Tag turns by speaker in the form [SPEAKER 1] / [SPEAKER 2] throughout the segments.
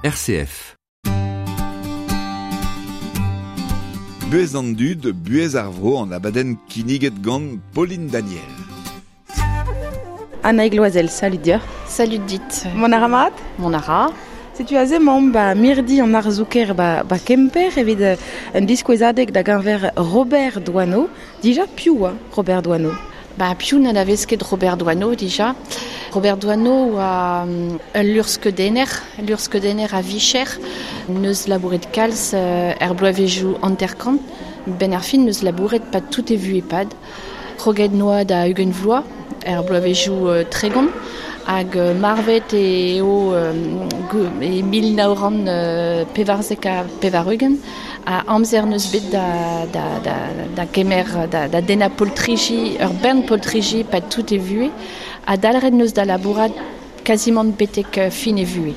[SPEAKER 1] RCF.
[SPEAKER 2] Buhez an dud, buhez ar vro an abadenn kinniget gant Pauline Daniel.
[SPEAKER 3] Annaig Loisel, salut deoc'h.
[SPEAKER 4] Salut dit.
[SPEAKER 3] Mont a ra mat?
[SPEAKER 4] Mont a ra.
[SPEAKER 3] Setu aze 'maomp ba mirdi an arzoù-kaer ba, ba Kemper evit un diskouezadeg da geñver Robert Doisneau. Dija piv oa Robert Doisneau?
[SPEAKER 4] Ba, piv n'anavez ket Robert Doisneau dija? Robert Doisneau oa ul luc'hskeudenner, luc'hskeudenner a-vicher, neus labouret kalz er bloavezhioù hanter-kant. Benn ar fin neus labouret pad tout e vuhez pad. Kroget noa da 20 vloaz er bloavezhioù 30 hag marvet eo e 1994 ha amzer neus bet da, da, da, da kemer, da, da dennañ poltriji, ur bern poltriji pad tout e vuhez, ha dalc'het neus da labourat kazimant betek fin e vuhez.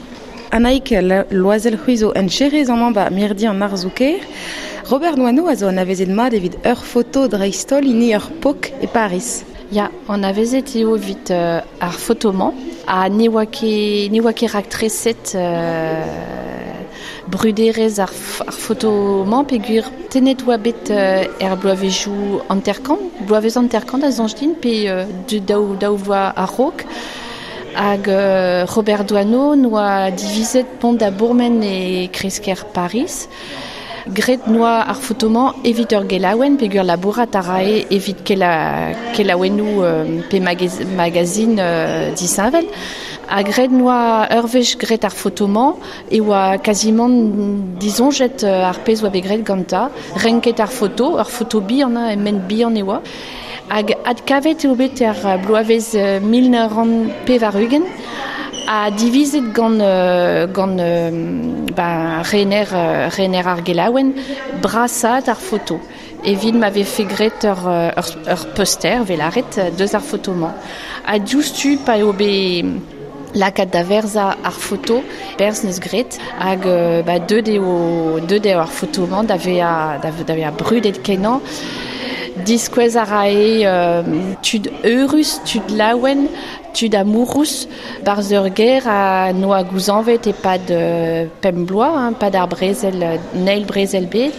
[SPEAKER 3] Annaig Loisel c'hwi zo encherez amañ ba mirdi an arzoù-kaer. Robert Doisneau a zo anavezet mat evit ur foto dreist-holl hini ur pok e Pariz.
[SPEAKER 4] Ya, anavezet eo evit ar foto-mañ ha ne oa ket ne oa ket raktreset bruderezh ar, ar foto-mañ peogwir tennet oa bet er bloavezhioù hanter-kant, bloavezh hanter-kant a soñj din pe daou, daou vloaz a-raok. Hag Robert Doisneau noa divizet pont da bourmen e kreiz-kêr Pariz. Graet noa ar foto-mañ evit ur gelaouenn peogwir labourat a rae evit kela, kelaouennoù pe magazin disheñvel. Ha graet noa ur wech graet ar foto-mañ e oa kazimant disoñjet ar pezh oa bet graet gantañ. Renket ar foto, ur foto bihan, ment bihan e oa. Hag adkavet eo bet er bloavezh 1980 ha divizet gant, gant ba, rener, rener ar gelaouenn brasaat ar foto evit ma vefe graet ur, ur, ur poster, 'vez lâret, deus ar foto-mañ. Ha diouzhtu pa eo bet lakaat da verzañ ar foto, berzh neus graet hag ba, deuet eo, deuet eo ar foto-mañ da vezañ, da, da vezañ brudet kenañ. Diskouez a rae tud eurus, tud laouen, tud amourous, barzh ur gêr a noa gouzañvet e-pad pemp bloaz, hein, pad ar brezel, an eil brezel bed.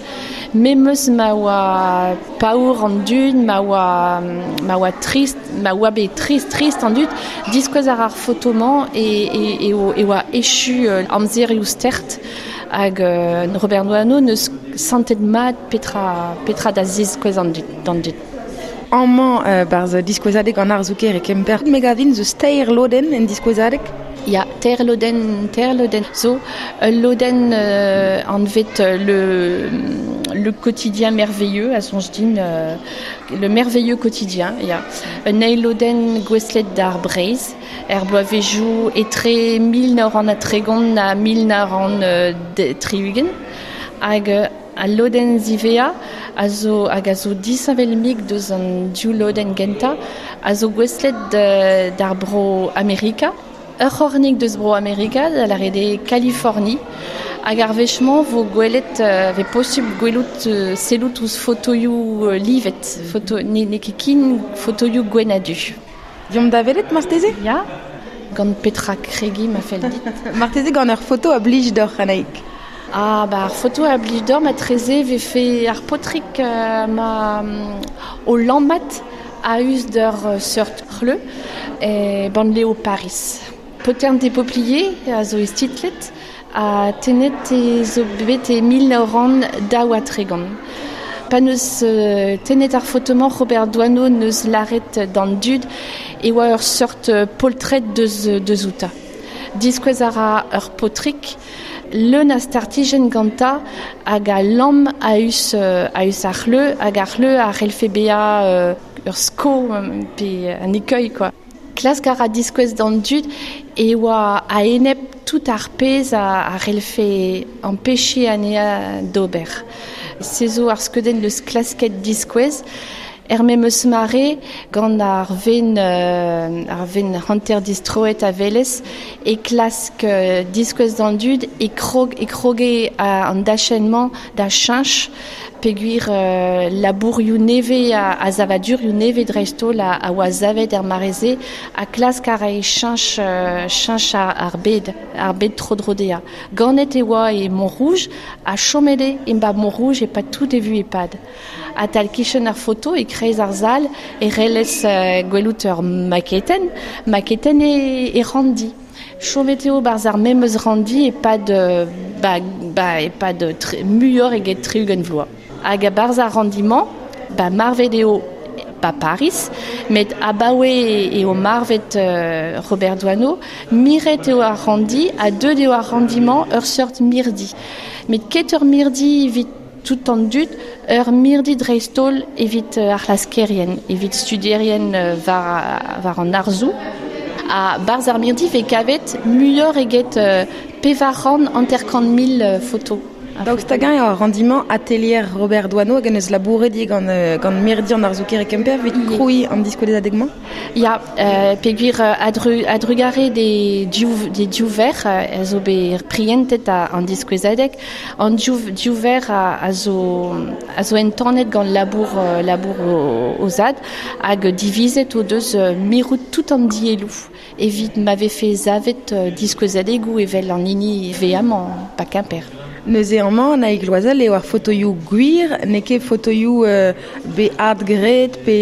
[SPEAKER 4] Memes ma oa paour an dud, ma oa, ma oa trist, ma oa bet trist, trist an dud, diskouez a ra ar foto-mañ e, e, e, e oa echu amzerioù stert hag Robert Doisneau neus santet mat petra, petra da ziskouez an dud, d'an dud.
[SPEAKER 3] Amañ barzh diskouezadeg an arzoù-kaer e Kemper, me gav din 'z eus teir lodenn en diskouezadeg.
[SPEAKER 4] Ya, teir lodenn, teir lodenn zo. Ul lodenn anvet le, le quotidien merveilleux, a soñj din, le merveilleux quotidien, ya. Un eil lodenn gouestlet d'ar Breizh, er bloavezhioù etre 1930 ha 1960. Hag al lodenn ziwezhañ a zo hag a zo disheñvel-mik deus an div lodenn gentañ, a zo gouestlet d'ar bro Amerika. Ur c'hornig deus bro Amerika, da lâret eo Kaliforni. Hag ar wech-mañ vo gwelet, vez posubl gwelout sellout ouzh fotoioù livet, foto, n'eo ket ken fotoioù gwenn ha du.
[SPEAKER 3] Deomp da welet marteze?
[SPEAKER 4] Ya, gant petra kregiñ ma fell dit.
[SPEAKER 3] Marteze gant ur foto a blij deoc'h, Annaig.
[SPEAKER 4] Ah, ba ar foto a blij deoc'h matreze vefe ar paotrig ma o lammat a-us d'ur seurt c'hleuz e bannlev Pariz. Potern des Peupliers a zo istitlet ha tennet e zo bet e 1932. Pa neus tennet ar foto-mañ Robert Doisneau neus lâret d'an dud e oa ur seurt poltred deus, deus outañ. Diskouez a ra ur paotrig leun a startijenn gantañ hag a lamm a-us, a-us ar c'hleuz hag ar c'hleuz a c'hellfe bezañ ur sko pe un écueil quoi. Klask a ra diskouez d'an dud e oa a-enep tout ar pezh a, a c'hellfe ampechiñ anezhañ d'ober. Se zo ar skeudenn deus klasket diskouez. Er memeus mare gant ar ven hanter distroet a velez e klask diskouez d'an dud e kroge an dachennement da cheñch peguir labourioù neve a zavadurioù neve dreistol a oa zavet er mareze a klask ar e cheñch ar bed tro-dro dezhañ. Ganet e oa e Montrouge a chomede e ba Montrouge e pa tout e vu e pad. A tal kichen ar foto e kreiz ar zal e relez gwelout ur maketen e randi. Chomet eo barz ar memeus randi e pad e pad muior eget 30 vloaz. Hag a barz ar randiment, ba marvet eo ba Paris, met abaoe eo marvet Robert Doisneau, miret eo ar randi, a deut eo ar randiment ur seurt mirdi. Met ket ur mirdi evit tout an dud, ur mirdi dreistol evit ar c'hlaskerien, evit studierien war an arzou. A barz ar mirdi ve kavet muior eget pevaran anterkant mil foto.
[SPEAKER 3] Daoust hag-eñ eo ar randiment atelier Robert Doisneau hag en eus labouret gant mirdi an arzoù-kêr e Kemper evit krouiñ an diskouezadeg-mañ?
[SPEAKER 4] Ya, peogwir adrugare de div ver a zo bet prientet an diskouezadeg. An div ver a zo entanet gant labour o zad hag divizet o deus mirout tout an dielloù. Evit ma vefe zavet diskouezadegoù evel an hini veamañ pa Kemper.
[SPEAKER 3] Neuze amañ Annaig Loisel eo ar fotoioù gwir, n'eo ket fotoioù be adgret pe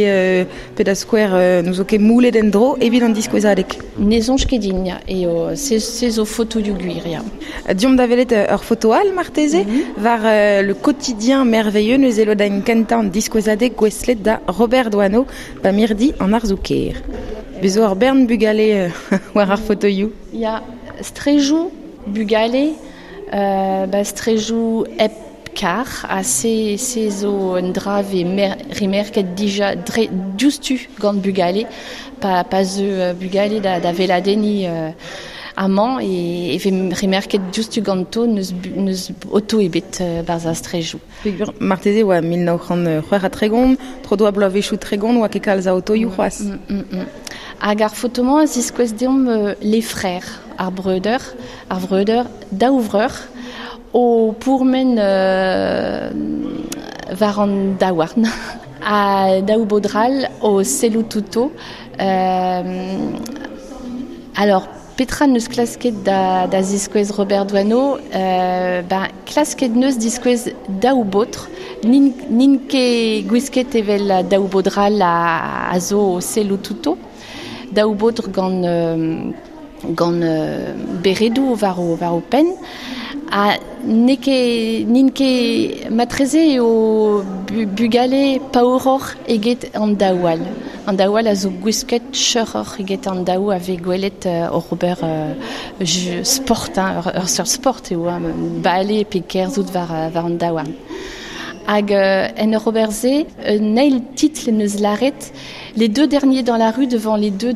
[SPEAKER 3] da skouer n'o zo ket moulet en-dro evit an diskouezadeg.
[SPEAKER 4] Ne soñj ket din, eo se zo fotoioù gwir, ya.
[SPEAKER 3] Diomp da welet ur foto all marteze, war le quotidien merveilleux neuze lodañ kentañ an diskouezadeg gouestlet da Robert Doisneau ba mirdi an arzoù-kêr. Bezo ar bern bugale war ar fotoioù.
[SPEAKER 4] Ya, strejoù bugale ba strejoù hep kar a se zo un dra ve rimerket dija diouzhtu gant bugale pa zeu bugale da veladeni amañ e ve rimerket diouzhtu ganto neus oto ebet barz ar strejoù.
[SPEAKER 3] Marteze oa 1936, tro doa bloavezhioù 30 oa ket kalz a otoioù c'hoazh.
[SPEAKER 4] Hag ar fotomañ a ziskouez deomp les frères, ar vreudeur, daou vreur, o pourmen war an daouarn, a daou bodral o sellout outo. Alors, Petra neus klasket da ziskouez Robert Doisneau, klasket neus diskouez daou baotr, nin ket gwisket evel daou bodral a zo o sellout outo. Daou baotr gant beredoù war o penn. A n'int ket matreze eo bugale paouroc'h eget an daou all. An daou all a zo gwisket cheuroc'h eget an daou a vez gwelet o Robert sport, hein, ur seurt sport eo, hein, bale pe kerzhout war an daouarn. Hag en ur ober se, un eil titl neus laret les deux derniers dans la rue devant les deux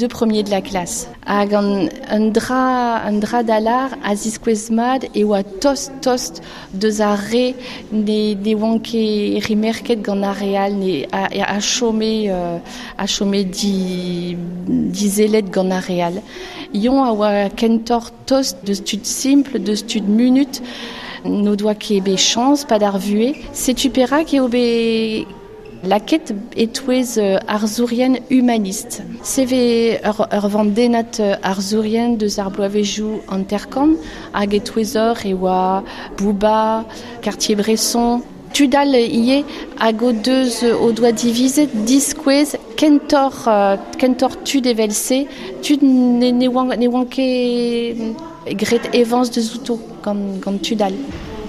[SPEAKER 4] premiers de la classe. Hag un dra d'alar a ziskouez mat e oa tost deus ar re ne oan ket rimerket gant ar re all ne a chome dizelet gant ar re all. Ion a oa kentor tost deus tud simple, deus tud munut, n'o doa ket bet chañs pa d'ar vue. Setu perak eo bet laket etouez arzourien humaniste. Seve ur vandennad arzourien deus ar bloavezhioù hanterkant hag etouez ur e oa Bouba, Cartier-Bresson. Tudal ivez hag o deus o doa divizet diskouez kentor tud evel-se, tud ne oant ket gret evañs deus outo gant tudal.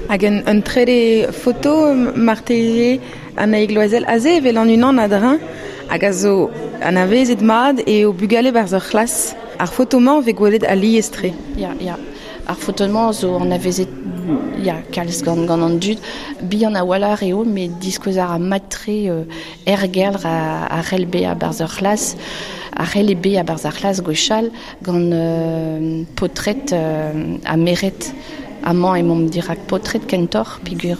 [SPEAKER 3] Hag un trede foto marteze Annaig Loisel aze evel an unan a-dreñv hag a zo anavezet mat eo bugale barzh ur c'hlas. Ar foto-mañ vez gwelet alies-tre.
[SPEAKER 4] Ya, ya. Ar foto-mañ zo anavezet ya, kalz gant an dud. Bihan a-walc'h eo, met diskouez ar mat-tre ergelr a c'hell bezañ barzh ur c'hlas, a c'helle bezañ barzh ar c'hlas gwechall gant potret ha meret Amañ emaomp dirak paotred kentoc'h peogwir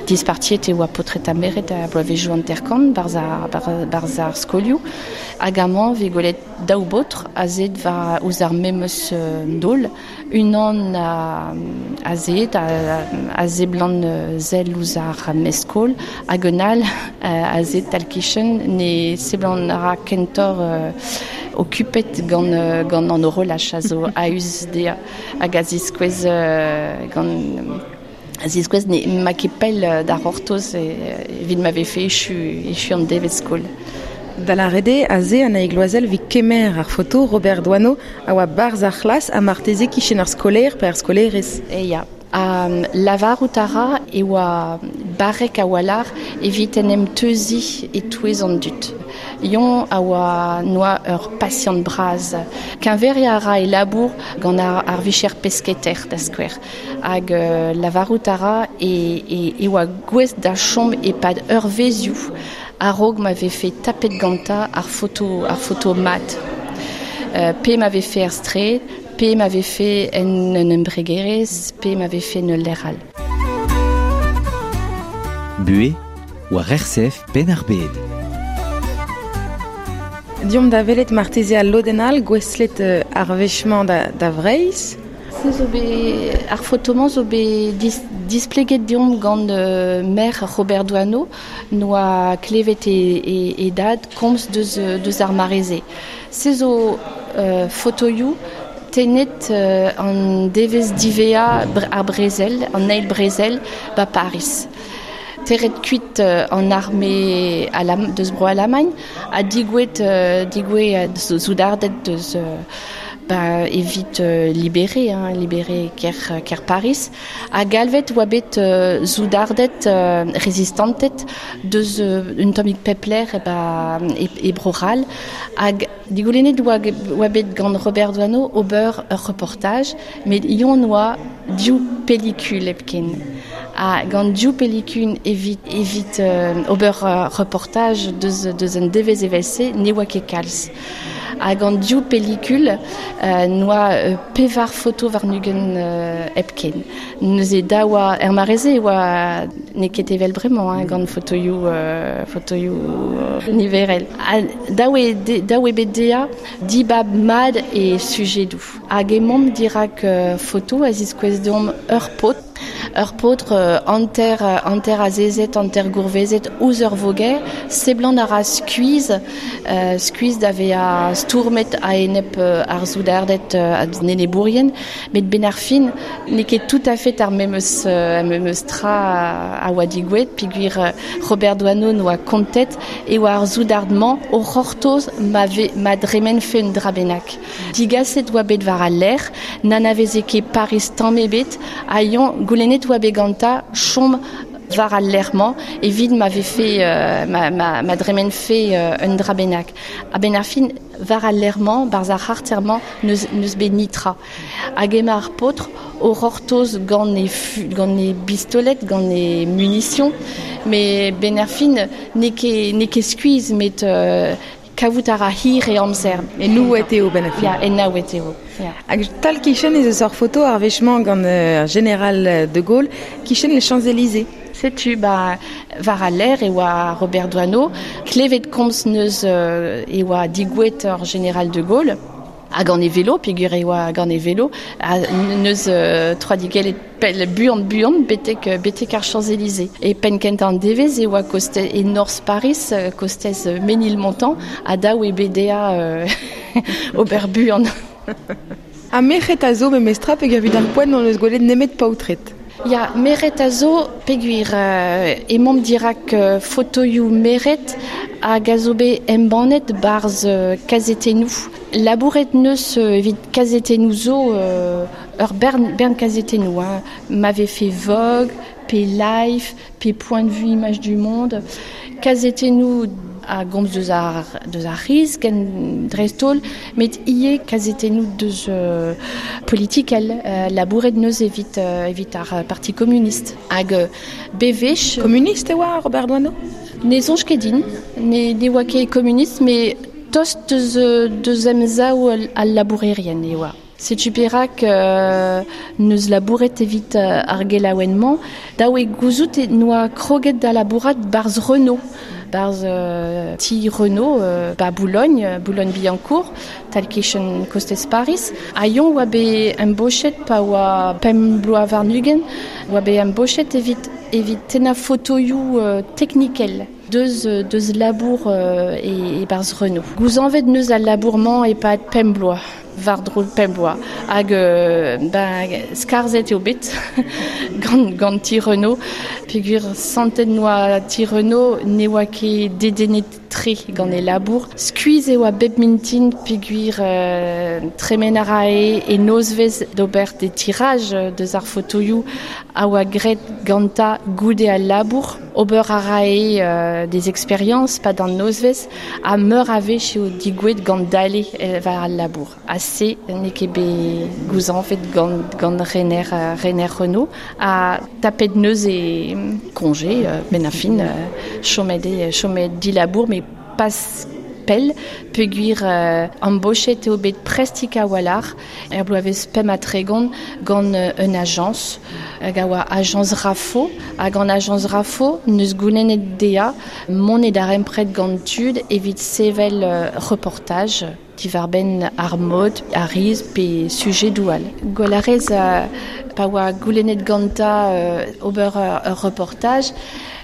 [SPEAKER 4] dispartiet e oa paotred ha merc'hed a bloavezhioù hanter-kant barzh ar, barzh ar skolioù. Hag amañ vez gwelet daou baotr azet war ouzh ar memes daol. Unan azet a seblant sell ouzh ar mestr-skol hag un all azet tal-kichen ne seblant a ra kentoc'h okupet gant, gant an horolaj a zo a-us dezhañ hag a ziskouez gant a ziskouez ne ma ket pell da c'hortoz evit ma vefe echu, echu an devezh skol.
[SPEAKER 3] Da lâret eo aze Annaig Loisel evit kemer ar foto Robert Doisneau a oa barzh ar c'hlas ha marteze kichen ar skolaer pe ar skolaerez.
[SPEAKER 4] E ya. Ha lavarout a ra e oa barrek a-walc'h evit en em teuziñ e-touez an dud. Yon a oa noa ur pasiant bras. Keñveriañ a ra e labour gant ar vicher pesketer, da skouer. Hag lavarout a ra e, e, e oa gouest da chom e-pad eurvezioù a-raok ma vefe tapet gantañ ar foto, ar foto mat. Pe ma vefe er straed, pe ma vefe en un embregerezh, pe ma vefe en ul lec'h all.
[SPEAKER 1] Buhez war RCF Penn-ar-Bed.
[SPEAKER 3] Deomp da welet marteze al lodenn all gouestlet ar wech-mañ da, da Vreizh.
[SPEAKER 4] Se zo bet, ar foto-mañ zo bet dis, displeget deomp gant maer Robert Doisneau noa klevet e, e, e dad komz deus, deus ar mare-se. Se zo fotoioù tennet an devezh diwezhañ ar brezel, an eil brezel, ba Pariz. Teret kuit an arme alam, deus bro Alamagn ha digouet, digouet soudarded deus ba, evit libérer, hein, libérer kêr, kêr Paris. Ha galvet oa bet soudarded rezistanted deus un tammig pep lec'h ba, e, e Bro-C'hall. Hag digoulennet oa, oa bet gant Robert Doisneau ober ur reportaj, met yon oa div pellikul hepken. Ha gant div pellikul evit, evit ober ur reportaj deus, deus un devezh evel-se ne oa ket kalz. Ha gant div pellikul noa pevar foto warn-ugent hepken. Neuze da oa, er mare-se e oa n'eo ket evel bremañ hein, gant fotoioù, fotoioù niverel. Ha dav eo, dav eo bet dezhañ dibab mat e sujedoù. Hag emaomp dirak foto a ziskouez deomp ur paotr, ur paotr hanter, hanter azezet, hanter gourvezet ouzh ur voger, seblant a ra skuizh, skuizh da vezañ stourmet a-enep ar soudarded an enebourien, met benn ar fin n'eo ket tout à fait ar memes, memes tra a oa digouet, peogwir Robert Doisneau noa kontet e oa ar soudard-mañ o c'hortoz ma, ve, ma dremenfe un dra bennak. Digaset oa bet war al lec'h, n'anaveze ket Paris tamm ebet, ha yon goulennet oa bet gantañ chom war al lec'h-mañ evit ma vefe ma, ma, ma dremenfe un dra bennak. A-benn ar fin, war al lec'h-mañ, barzh ar c'harter-mañ, n'eus, n'eus bet nitra. Hag emañ ar paotr o c'hortoz gant e, gant e bistolet, gant e munition, met benn ar fin n'eo ket, n'eo ket skuizh, met kavout a ra hir e amzer.
[SPEAKER 3] Enouet eo benn ar fin.
[SPEAKER 4] Ya, enaouet eo. Ya.
[SPEAKER 3] Hag tal kichen ez eus ur foto ar wech-mañ gant général de Gaulle, kichen les Champs-Élysées.
[SPEAKER 4] Setu, ba, war al lec'h e oa Robert Doisneau, klevet komz neus e oa digouet ur général de Gaulle, ha gant e velo, peogwir e oa gant e velo, ha neus troadigellet pell buan buan betek, betek ar Champs-Élysées. E penn kentañ an devezh e oa koste, e norzh Paris, kostez Ménilmontant, ha dav eo bet dezhañ ober buan.
[SPEAKER 3] Ha merc'hed a zo memestra peogwir evit ar poent n'hon eus gwelet nemet paotred.
[SPEAKER 4] Ya, merc'hed a zo peogwir emaomp dirak fotoioù merc'hed hag a zo bet embannet barzh kazetennoù. Labouret neus evit kazetennoù zo ur bern, bern kazetennoù, hein. Ma vefe Vogue, pe Life, pe Point de vue Image du Monde. Kazetennoù a gomz deus ar, deus ar c'hiz ken dreist-holl, met ivez kazetennoù deus politikel, labouret neus evit, evit ar Parti communiste. Hag bewech...
[SPEAKER 3] Komunist e oa Robert Doisneau?
[SPEAKER 4] Ne soñj ket din, ne, ne oa ket komunist, met tost deus, deus emsav al labourerien e oa. Setu perak neus labouret evit ar gelaouenn-mañ, daou e gouzout e noa kroget da labourat barz Renault. Barz ti Renault ba Boulogne, Boulogne-Billancourt, tal kichen kostez Paris. A yon oa be embochet pa oa pemp bloaz warn-ugent, oa be embochet evit tenna fotoioù teknikel deus labour e barz Renault. Gouzañvet neus al labour-mañ e-pad pemp bloaz, war-dro pemp bloaz. Hag skarzhet eo bet gant ti Renault. Peogwir santet noa ti Renault ne oa ket dedennet tre gant e labour. Skuizh e oa bep mintin peogwir tremen a rae e nozvezh d'ober des tirages deus ar fotoioù a oa graet ganta goude al labour. Ober a rae des expériences pa d'an nozvezh ha meur a wech eo digouet gant dale war al labour. Ha se n'eo ket bet gouzañvet gant Rener Renault ha tapet neuze congé ben a fin chomet dilabour mais pas pell peogwir embochet eo bet prestik a-walc'h er bloavezh pemp ha tregont gant un ajañs hag a oa ajañs Raffo hag an ajañs Raffo neus goulennet dezhañ mont e darempred gant tud evit sevel reportaj diwar-benn ar mod, ar riz pe sujet doual. Gwell a rez pa oa goulennet gantañ ober ur reportaj,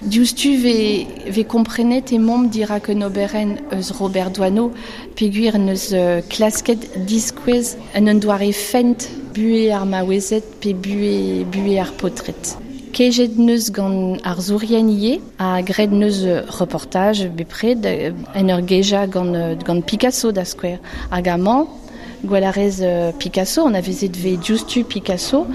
[SPEAKER 4] diouzhtu ve komprenet emaomp dirak un oberenn eus Robert Doisneau peogwir neus klasket diskouez en un doare fent buhez ar maouezed pe buhez ar paotred. Kejet neus gant ar zourien ivez ha graet neus reportaj bepred en ur gejañ gant Picasso da skouer. Hag amañ, gwell a rez Picasso, on a vezet ve diouzhtu Picasso,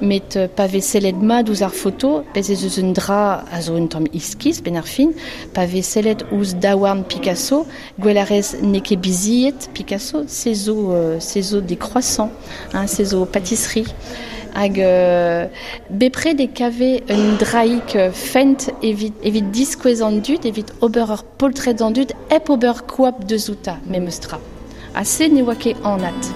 [SPEAKER 4] met pa vez sellet mat ouzh ar foto, bez ez eus un dra a zo un tamm iskis ben ar fin, pa vez sellet ouzh daouarn Picasso, gwell a rez n'eo ket biziet Picasso, se zo des croissants, hein, se zo pâtisserie. Hag bepred e kave un draig fent evit diskouez an dud, evit ober ur poltred an dud, hep ober koap deus outa, memes tra. Ha se ne oa ket anat.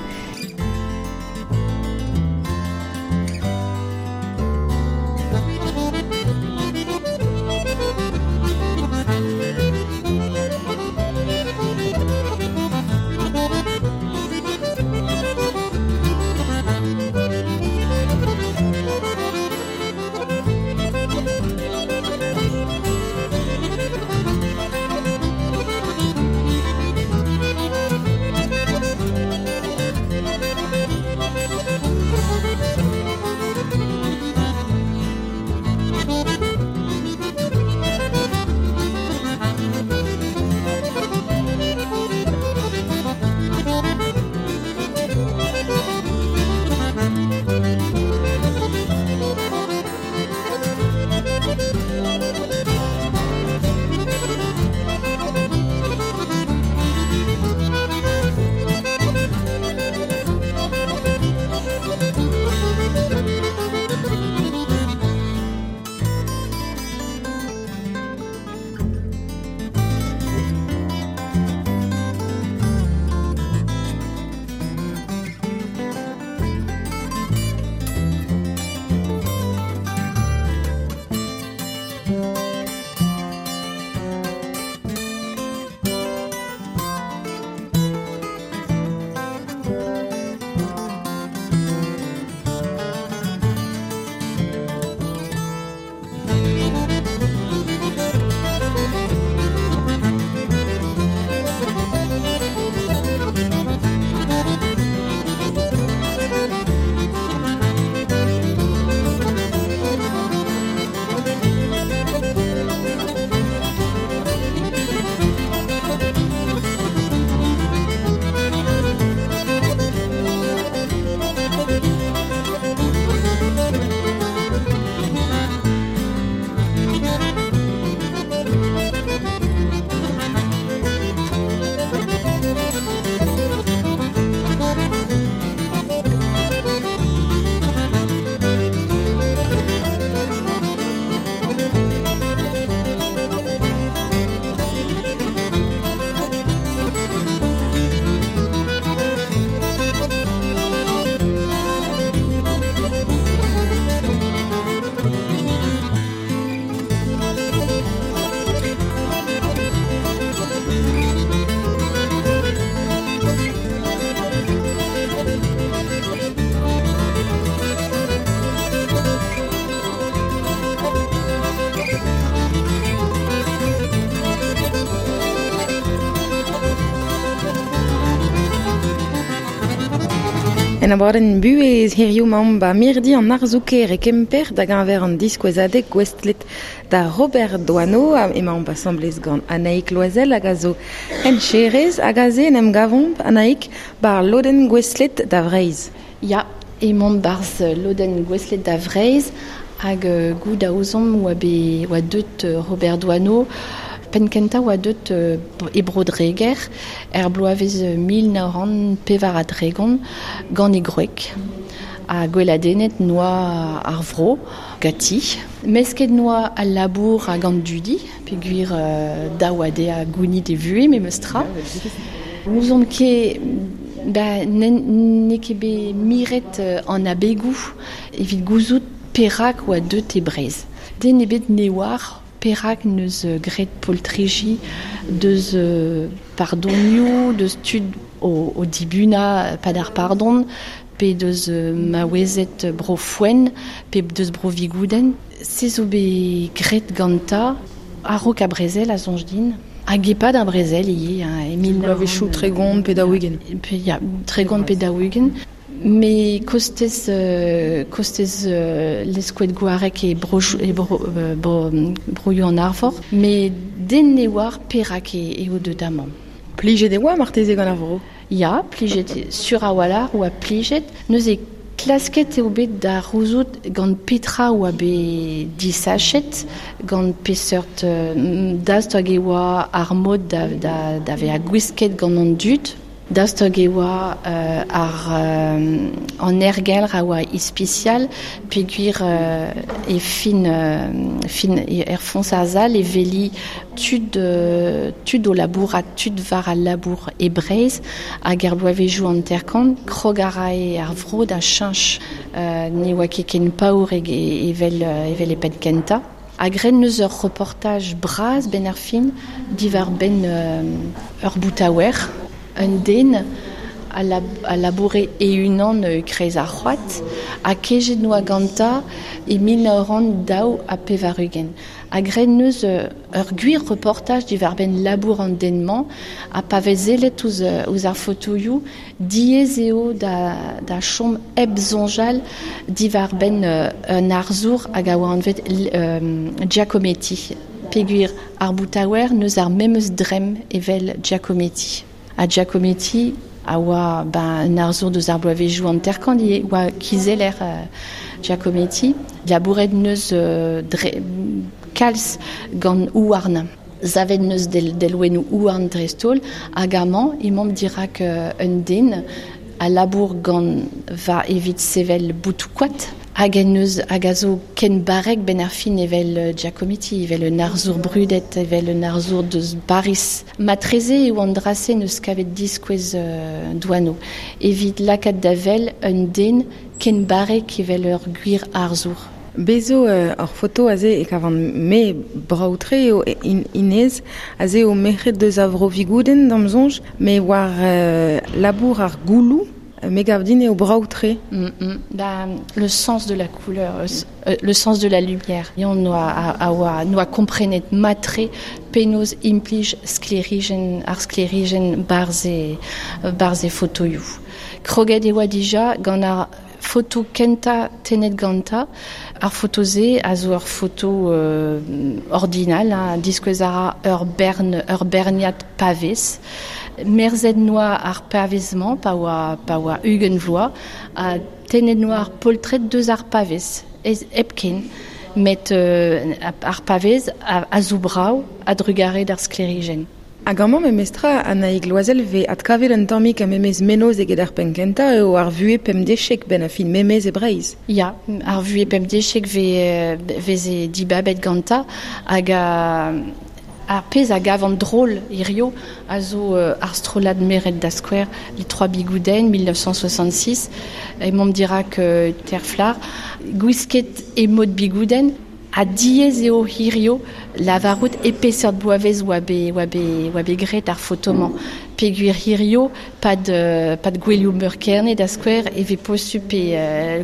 [SPEAKER 3] En abadenn buhez hiziv 'maomp ba mirdi an arzoù-kaer e Kemper da geñver an diskouezadeg gouestlet da Robert Doisneau emaomp asambles gant Anaïk Loisel hag a zo hencherez hag aze en em gavomp Anaïk bar lodenn gouestlet da Vreizh.
[SPEAKER 4] Ya, emaomp barzh lodenn gouestlet da Vreizh hag goût a ouzomp oa bet oa deut Robert Doisneau penn kentañ oa deut e Bro-Dreger er bloavezh 1934 gant e gwreg ha gweladennet noa ar vro gati. Mesket noa al labour hag an dudi, peogwir daou a dezhañ gounit e vuhez memes tra. N'ouzon ket ba n'eo ket bet miret an abegoù evit gouzout perak oa deut e Breizh. Den ebet ne oar perak n'eus graet poltriji deus pardonioù, deus tud o dibunañ pad ar pardon, pe deus maouezed bro Foenn, pe deus bro Vigoudenn. Se zo bet graet gantañ a-raok ar brezel a soñj din. Hag e-pad ar brezel ivez, hein, e mil
[SPEAKER 3] Bloavezhioù 30 pe 40.
[SPEAKER 4] Pe, ya, 30 pe 40. Me kostez kostez Leskoued Gwareg e bro, e bro, bro, broioù an Arvor. Me den ne oar perak eo deut amañ.
[SPEAKER 3] Plijet e oa marteze gant ar vro?
[SPEAKER 4] Ya, plijet sur a-walc'h oa plijet. Neuze klasket eo bet da c'houzout gant petra oa bet disachet, gant peseurt daoust hag e oa ar mod da vezañ gwisket gant an dud. Daoust hag e oa ar an aergelc'h a oa ispisial peogwir e fin fin er foñs ar sal e weli tud tud o labourat, tud war al labour e Breizh hag er bloavezhioù hanter-kant krog a rae ar vro da cheñch ne oa ket ken paour evel evel e penn kentañ. Ha graet neus ur reportaj bras benn ar fin diwar-benn ur boutaouer. Un den a laboure e-unan e-kreiz ar c'hoad ha kejet noa gantañ e 1982. Ha graet neus ur gwir reportaj diwar-benn labour an den-mañ ha pa vez sellet ouzh ar fotoioù diaes eo da chom hep soñjal diwar-benn un arzour hag a oa anvet Giacometti. Peogwir ar boutaouer neus ar memes dremm evel Giacometti. Ha Giacometti a oa ben, un arzour deus ar bloavezhioù hanter-kant ivez, oa kizeller Giacometti. Labouret neus kalz gant houarn. Savet neus delwennoù houarn dreist-holl hag amañ emaomp dirak un den a labour gant va evit sevel boutoù-koad. Hag en neus hag a zo ken barrek benn ar fin evel Giacometti, evel un arzour brudet, evel un arzour deus Paris. Matreze eo an dra-se neus kavet diskouez Doisneau. Evit lakaat da wel un den ken barrek evel ur gwir arzour.
[SPEAKER 3] Bezo ur foto aze e kavan me brav-tre eo Inez, aze eo merc'hed deus a vro Vigoudenn d'am soñj, me war labour ar gouloù. Me gav din eo brav-tre.
[SPEAKER 4] Ba, le sens de la couleur, le sens de la lumière. Yann noa a oa noa komprenet mat-tre penaos implij sklêrijenn ar sklêrijenn barzh e fotoioù. Kroget e oa dija gant ar foto kentañ tennet gantañ. Ar foto-se a zo ur foto ordinal, hein, diskouez a ra ur bern, ur berniad pavez. Merzet noa ar pavez-mañ pa oa 20 vloaz ha tennet noa ar poltred deus ar pavez hepken. Met ar pavez a zo brav a drugare d'ar sklêrijenn.
[SPEAKER 3] Hag amañ memestra Anaïg Loisel vez adkavet un tammig a memes menoz eget ar penn kentañ eo ar vuhez pemdechek benn ar fin memes e Breizh.
[SPEAKER 4] Ya, ar vuhez pemdechek veze dibabet gantañ hag ar pezh a gav an drôle hirio a zo ar strollad meret da skouer Les Trois Bigouden 1966 emaomp dirak Terflar gwisket e mod Bigouden ha diaes eo hirio lavarout e peseurt bloavezh oa bet graet ar foto-mañ. Peogwir hirio pad gouelioù meur Kerne da skouer e vez posupl pe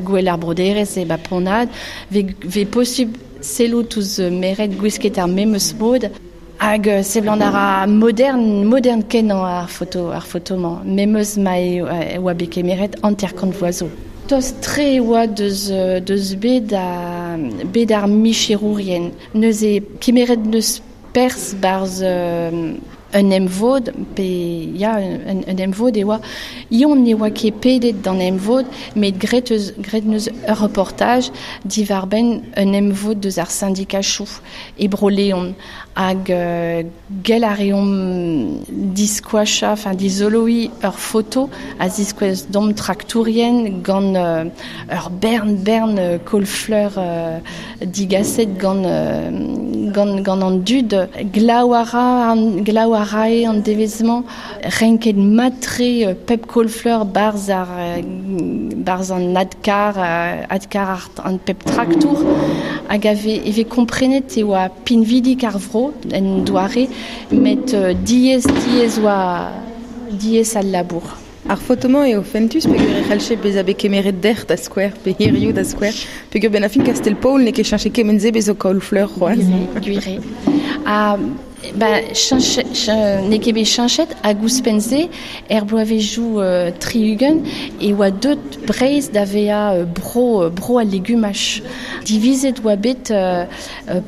[SPEAKER 4] gouel ar broderezh e ba Pont-Aven, vez posupl sellout ouzh meret gwisket ar memes mod. Hag seblant ar a modern kenañ ar foto-mañ. Memeus ma e oa bet kemeret hanter-kant vloaz zo. Tost tre oa deus bet ar micherourien. Neuze kemeret neus perzh barzh un emvod, pe ya, un emvod e oa. Ion ne oa ket pedet d'an emvod, met gret neus ur reportaj diwar benn un emvod deus ar syndikachoù e Bro-Leon. Hag gell a reomp diskoacha, enfin dizoloi ur foto a ziskouez dom traktourien gant ur bern kolfleur digaset gant an dud. Glaou a rae an devezmañ renket matre pep kolfleur barz an adkar an pep traktour hag eve komprenet e oa pinvidik ar vro en doare met diez oa diez al labour.
[SPEAKER 3] Ar fotomañ eo fentus peogwir e c'hallche bezañ bet kemeret dec'h da skouer pe hiziv da skouer peogwir ben a fin Kastel-Paol n'eo ket cheñchet kement-se bez' zo kaol-fleur c'hoazh.
[SPEAKER 4] Gwir eo. Ha n'eo ket bet cheñchet hag ouzhpenn-se er bloavezhioù 60 e oa deut Breizh da vezañ bro al legumaj. Divizet oa bet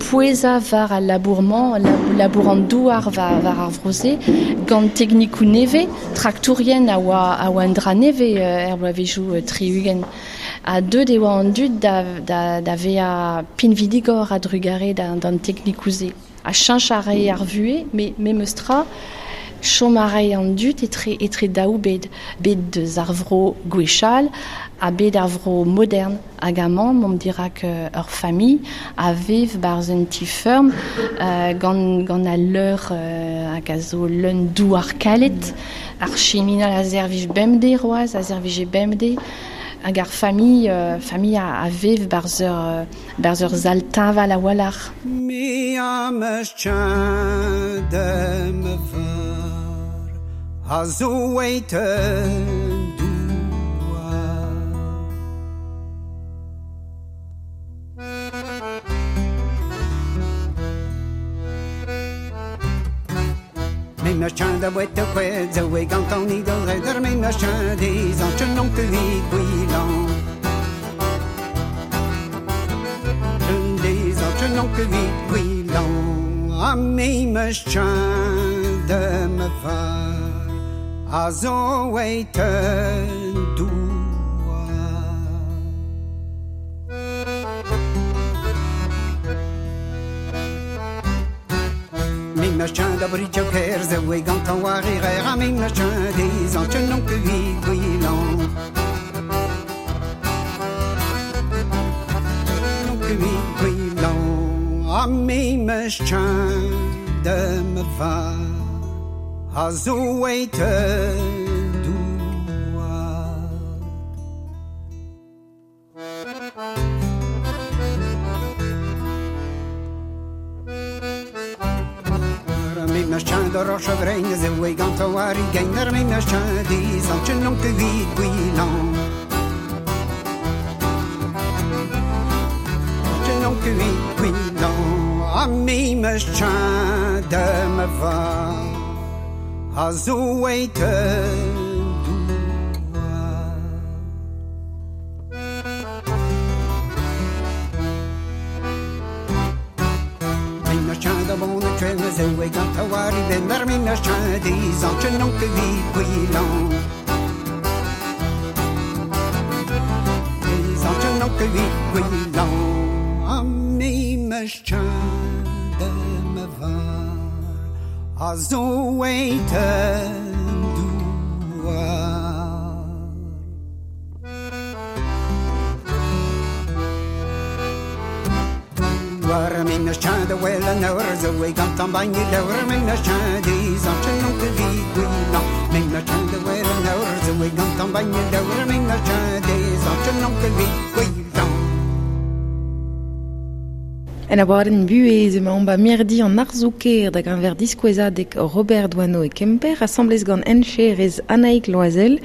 [SPEAKER 4] pouezañ war al labour-mañ, labour an douar war ar vro-se, gant teknikoù nevez, traktourien a oa un dra nevez er bloavezhioù 60. Ha deut e oa an dud da vezañ pinvidigor a drugare d'an teknikoù-se. A cheñch a rae ar vuhez, met memes tra, chom a rae an dud etre daou bed. Bet deus ar vro gwechall ha bet ar vro modern. Hag amañ, m'omp dirak ur familh a vev barzh un ti-feurm gant al leur hag a zo leun douar kalet. Ar chiminal a servij bemdez roaz, a servije bemdez. Hag ar familh a vev barzh ur sal teñval a-walc'h.
[SPEAKER 5] Mi am eus dem var a zo eit douar. Me meus chan da wet kwed zo e gant an idol redder me meus chan dez an chen non kuit gwilan. Dez an chen non kuit gwilan. A me meus chan de me var a zo eit douar. Me meus chan da bridge ker zo e gant an war e a me meus chan dez an chen non kuit gwilan. Non kuit gwilan. A me meus chan de me var a zo eit douar. Me meus chan da roch vrein zo e gant an war e geiner me meus chan dez an chen non kuit gwilan. Chen non kuit gwilan. A me meus chan de me var a zo eit douar. Me meus chan da bon kwen zo e gant a war e benner me meus chan dez an chen non kuit gwilan. Dez an chen non kuit gwilan. A me meus chan de me var a zo eit douar. War me meus chan da wel an eur zo e gant an bagn leur me meus chan dez an chen non kuit gwilan. Me meus chan da wel an eur zo e gant an bagn leur me meus chan dez an chen non kuit gwilan.
[SPEAKER 3] En abadenn buhez emaomp ba mirdi an arzoù-kaer da geñver diskouezadeg Robert Doisneau e Kemper asambles gant encherez Anaïk Loisel.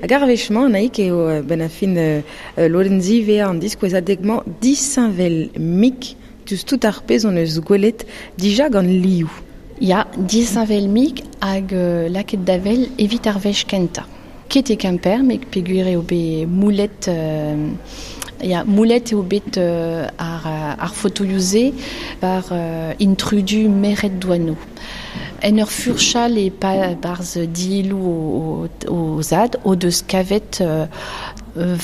[SPEAKER 3] Hag ar wech-mañ Anaïk eo ben a fin lodenn zivea an diskouezadeg-mañ disheñvel mik diouzh tout ar pezh hon eus gwelet dija gant liv.
[SPEAKER 4] Ya, disheñvel-mik hag lakaet da wel evit ar wech kentañ. Ket e Kemper, met peogwir eo bet moulet ya, moulet eo bet ar fotoioù-se war intrudu Merc'hed Doano. En ur furchal e barzh dielloù o zad o deus kavet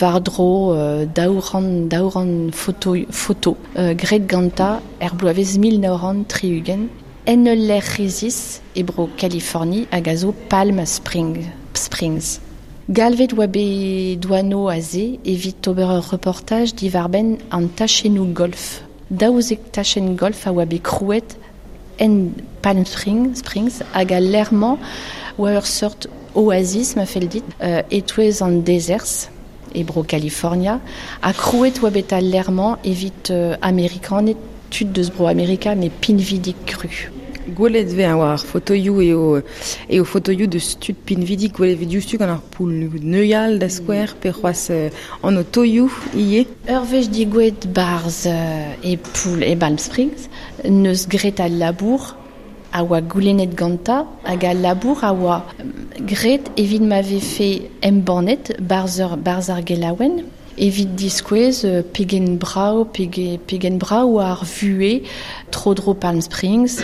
[SPEAKER 4] war-dro 200 foto graet gantañ er bloavezh 1960 en ul lec'h resis e bro Californie hag a zo Palm Springs. Galvet oa bet Doano aze evit ober ur reportaj diwar-benn an tachennoù golf. 12 tachenn golf a oa bet krouet en Palm Springs hag al lec'h-mañ oa ur seurt oasis ma fell dit e-touez an dezerzh e bro California ha krouet oa bet al lec'h-mañ evit Amerikaned tud deus bro Amerika met pinvidik kru.
[SPEAKER 3] Gwelet vez war ar fotoioù eo fotoioù deus tud pinvidik gwelet vez diouzhtu gant ar poull neuial da skouer pe c'hoazh an otoioù ivez.
[SPEAKER 4] Ur wech digouezhet barzh e poull e Palm Springs neus graet al labour a oa goulennet gantañ hag al labour a oa graet evit ma vefe embannet barzh ar gelaouenn evit diskouez pegen brav ar vuhez tro-dro Palm Springs,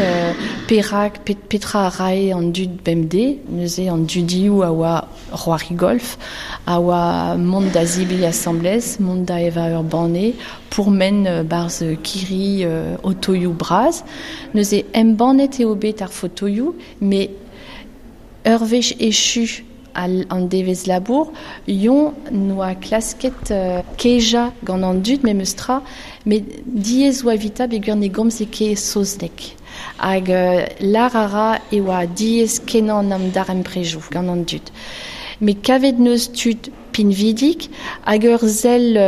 [SPEAKER 4] perak petra a rae an dud bemdez, neuze an dudioù a oa c'hoari golf, a oa mont da zebriñ asambles, mont da evañ ur banne, pourmen barzh kirri otoioù bras. Neuze embannet eo bet ar fotoioù, met ur wech echu an devezh labour, yon noa klasket kejañ gant an dud memes tra, met diaes oa evitañ peogwir ne gomze ket saozneg. Hag lar a ra e oa diaes kenañ an darempredoù gant an dud. Met kavet neus tud pinvidik hag ur sell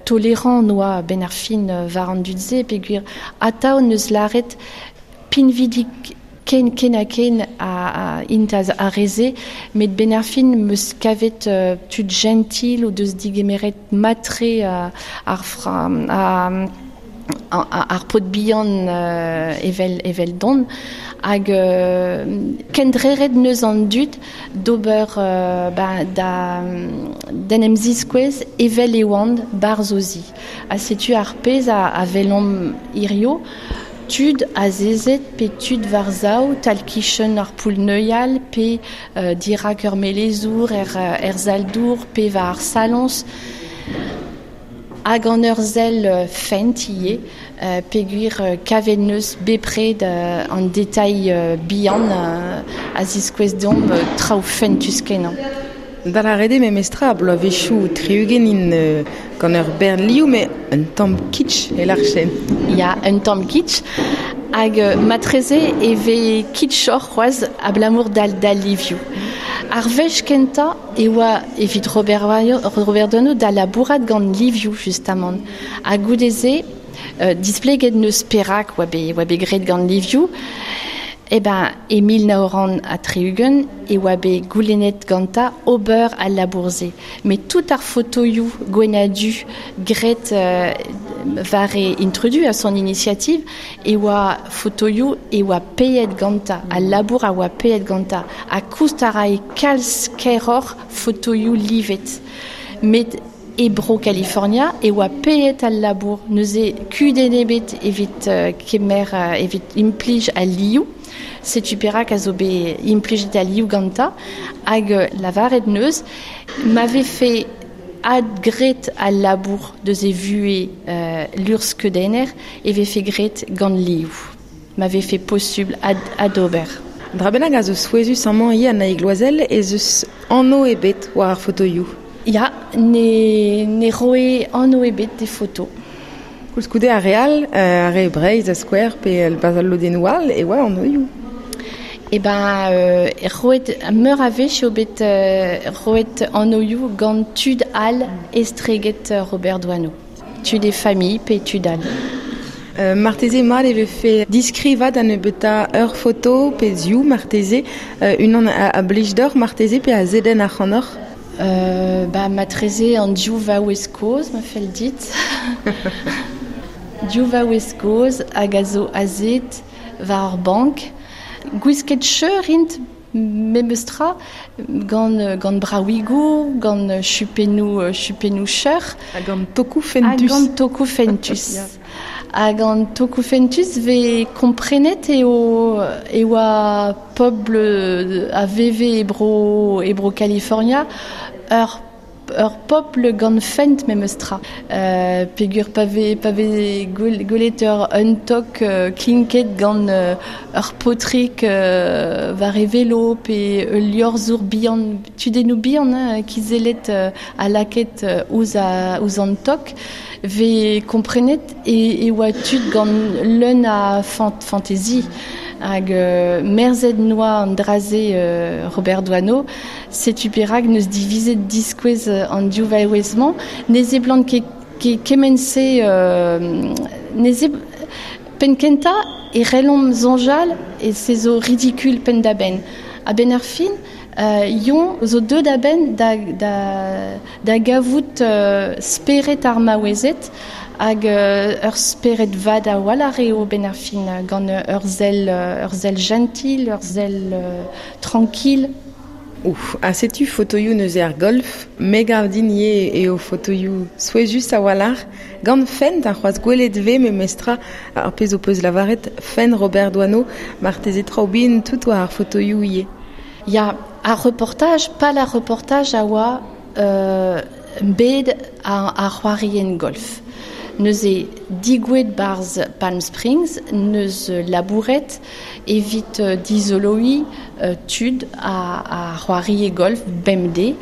[SPEAKER 4] tolerant noa ben ar fin war an dud-se peogwir atav neus lâret pinvidik ken ha ken a int a reze, met ben ar fin meus kavet tud gentil o deus digemeret matre ar paotr bihan evel don hag kendreret neus an dud d'ober d'en em ziskouez evel e oant barzh o zi. Ha setu ar pezh a welomp hirio, tud azezet pe tud war zaou tal-kichen ar poull neuial pe dirak ur melezour er sal-dour pe war ar saloñs hag an ur sell fent ivez peogwir kavet neus bepred an detail bihan a ziskouez deomp traoù fentus kenañ.
[SPEAKER 3] Da lâret eo memestra bloavezhioù 60 int gant ur bern liv, met un tamm kitsch e lârchen.
[SPEAKER 4] Ya, un tamm kitsch. Hag matreze e vez kitschoc'h c'hoazh abalamour d'al livioù. Ar wech kentañ e oa evit Robert Doano da labourat gant livioù justamant. Ha goude-se, displeget neus perak oa bet graet gant livioù. E ben, e 1960 e oa bet goulennet gantañ ober al labour-se. Met tout ar fotoioù gwenn-ha-du graet war e intrudu a son initiative e oa fotoioù e oa paeet gantañ, al labour a oa paeet gantañ. Ha koust a rae kalz kaeroc'h fotoioù livet. Met e bro California e oa paeet al labour. Neuze kudenn ebet evit kemer evit implij al liv. Setu perak a zo bet implijet al liv gantañ hag lavaret neus ma vefe adgraet al labour deus e vuhez luc'hskeudenner e vefe graet gant liv. Ma vefe posubl adober.
[SPEAKER 3] Dra bennak a zo souezhus amañ ivez Annaig Loisel ez eus anv ebet war ar fotoioù.
[SPEAKER 4] Ya, ne roe anv ebet d'e foto.
[SPEAKER 3] Koulskoude ar re all, ar re Breizh a skouer pe barzh al lodennoù all e oa anvioù.
[SPEAKER 4] E ben, roet meur a wech eo bet roet anvioù gant tud all estreget Robert Doano. Tud e familh pe tud all.
[SPEAKER 3] Marteze mat e vefe diskrivat an nebeutañ ur foto pe ziv marteze, unan a blij deoc'h marteze pe a zedenn ac'hanoc'h.
[SPEAKER 4] Ba matreze an div vaouez kozh ma fell dit. Div vaouez kozh hag a zo azet war ur bank. Gwisket cheur int memestra gant brawigo, gant chupennou cheur.
[SPEAKER 3] Ha gant tokou fentus.
[SPEAKER 4] Ha gant tokou fentus. Ha gant tokou fentus ve komprenet eo oa pobl a veve e bro California ur popl gant fent memestra. Pegur pave gwelet ur un tok klinket gant ur potrik war e velo pe ul liorzhour bihan, tudennoù bihan hein, kizellet a laket ouzh an tok, ve komprenet e oa tud gant leun a fantaisie. Hag merzet noa an draze Robert Doisneau, setu perak neus divizet diskouez an div vaouez-mañ, ne seblant ket kement-se penn kentañ e c'hellomp soñjal e se zo ridicule penn da benn. A-benn ar fin, yon zo deuet a-benn da gavout spered ar maouezed hag ur spered vat a-walc'h eo ben ar fin gant ur sell gentil, ur sell tranquille.
[SPEAKER 3] Ouf, ha setu fotoioù neuze ar golf, me gav din ivez eo fotoioù souezhus a-walc'h, gant fent ar c'hoazh gwelet ve memestra ar pezh ho peus lavaret fent Robert Doisneau, marteze traoù bihan tout war ar fotoioù ivez.
[SPEAKER 4] Ya, ar reportaj, pal ar reportaj a oa bet ar c'hoarien golf. Neuze digouet barz Palm Springs, neus labouret evit dizoloiñ tud a c'hoarie golf bemdez.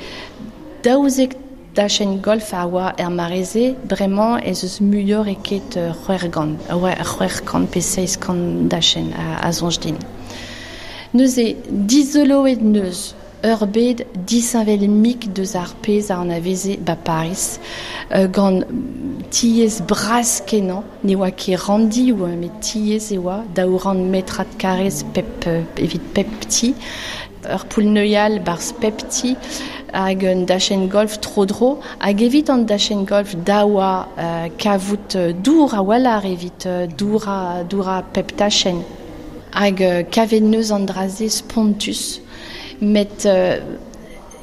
[SPEAKER 4] Daouzek dachenn golf a oa er mareze, bremañ ez eus muioc'h eket 600 pe 700 dachenn a soñj din. Neuze dizoloet neus ur bed disheñvel mik deus ar pezh a anaveze ba Paris, gant tiez bras kenañ, ne oa ket randi oa, met tiez e oa, 200 metrad karrez pep, evit pep ti, ur poull-neuial barzh pep ti, hag un dachenn golf tro-dro, hag evit an dachenn golf da oa kavout dour a-walc'h evit doura pep tachenn. Hag kavet neus an draze spontus, met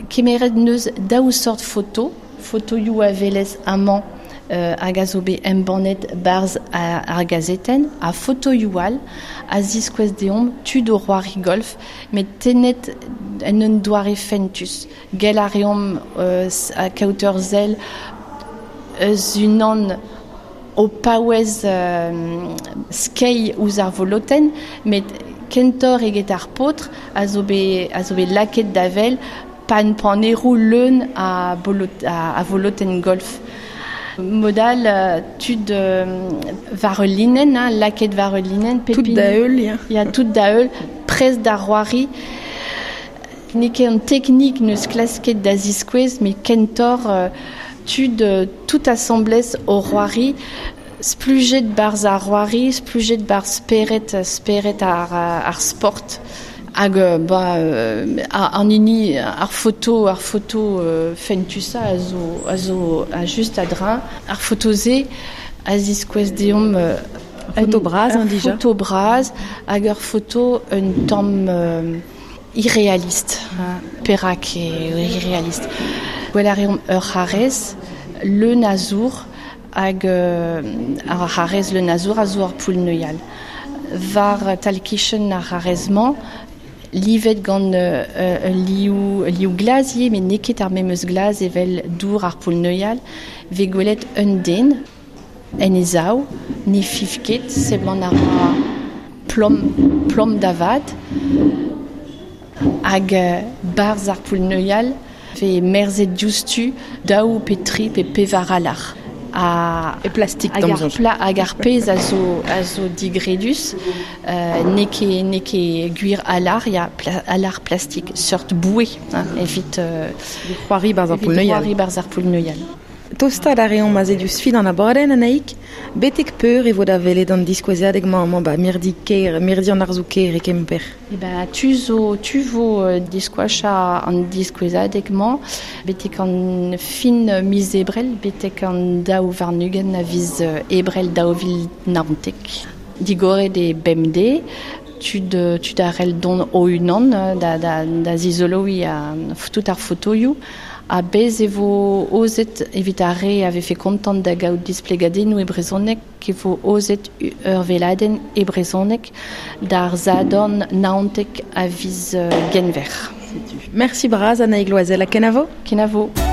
[SPEAKER 4] kemeret neus daou sort foto, fotoioù a velez amañ hag a zo bet embannet barzh ar gazetenn, ha fotoioù all a ziskouez deomp tud o c'hoari golf, met tennet en un doare fentus. Gell a reomp kaout ur sell eus unan o paouez skeiñ ouzh ar volotenn, met kentoc'h eget ar paotr a zo bet laket da vel pan paneroù leun a volotenn golf. Modal tud war ul linenn, hein, laket war ul linenn.
[SPEAKER 3] Tout da heul, ya.
[SPEAKER 4] Ya, tout da heul, prest da c'hoari. N'eo ket an teknik neus klasket da ziskouez, met kentoc'h tud tout asambles o c'hoari, splujet barzh ar c'hoari, splujet barzh spered ar sport. Hag an hini ar foto fentusa a zo a just a-dreñv. Ar foto-se a ziskouez deomp
[SPEAKER 3] foto bras, hein, dija.
[SPEAKER 4] Foto bras hag ur foto un tamm irréaliste. Hein. Perak eo irréaliste. Gwell a reomp ur c'harrez leun a zour hag ar c'harrez leun a zour a zo ar poull-neuial. War tal-kichen ar c'harrez-mañ, livet gant liv glas ivez, met n'eo ket ar memes glas evel dour ar poull-neuial, ve gwelet un den en e zaou, ne fiv ket, seblant ar ra plom da vat, hag barzh ar poull-neuial ve merzet diouzhtu daou pe tri pe pevar alar.
[SPEAKER 3] E plastik
[SPEAKER 4] hag ar pezh a zo digredus, n'eo ket gwir alar, ya alar plastik, seurt boue, hein, evit
[SPEAKER 3] c'hoari barzh ar
[SPEAKER 4] poull-neuial.
[SPEAKER 3] Tostaat a reomp aze diouzh fin an abadenn Anaïk, betek peur e vo da welet an diskouezadeg-mañ amañ ba mirdi kêr, mirdi an arzoù kêr e Kemper.
[SPEAKER 4] E ben, tu vo diskoachañ an diskouezadeg-mañ betek an fin miz Ebrel, betek an 22 a viz Ebrel 2019. Digoret e bemdez, tud, tud a rel don o unan da, da, da zizoloui a tout ar fotoioù a bez e vo ozet evit ar re a vefe kontant da gaout displegadennoù e brezhoneg e vo ozet ur veladenn e brezhoneg d'ar zadorn naontek a viz genver.
[SPEAKER 3] Merci braz Annaig Loisel, a kenavo?
[SPEAKER 4] Kenavo.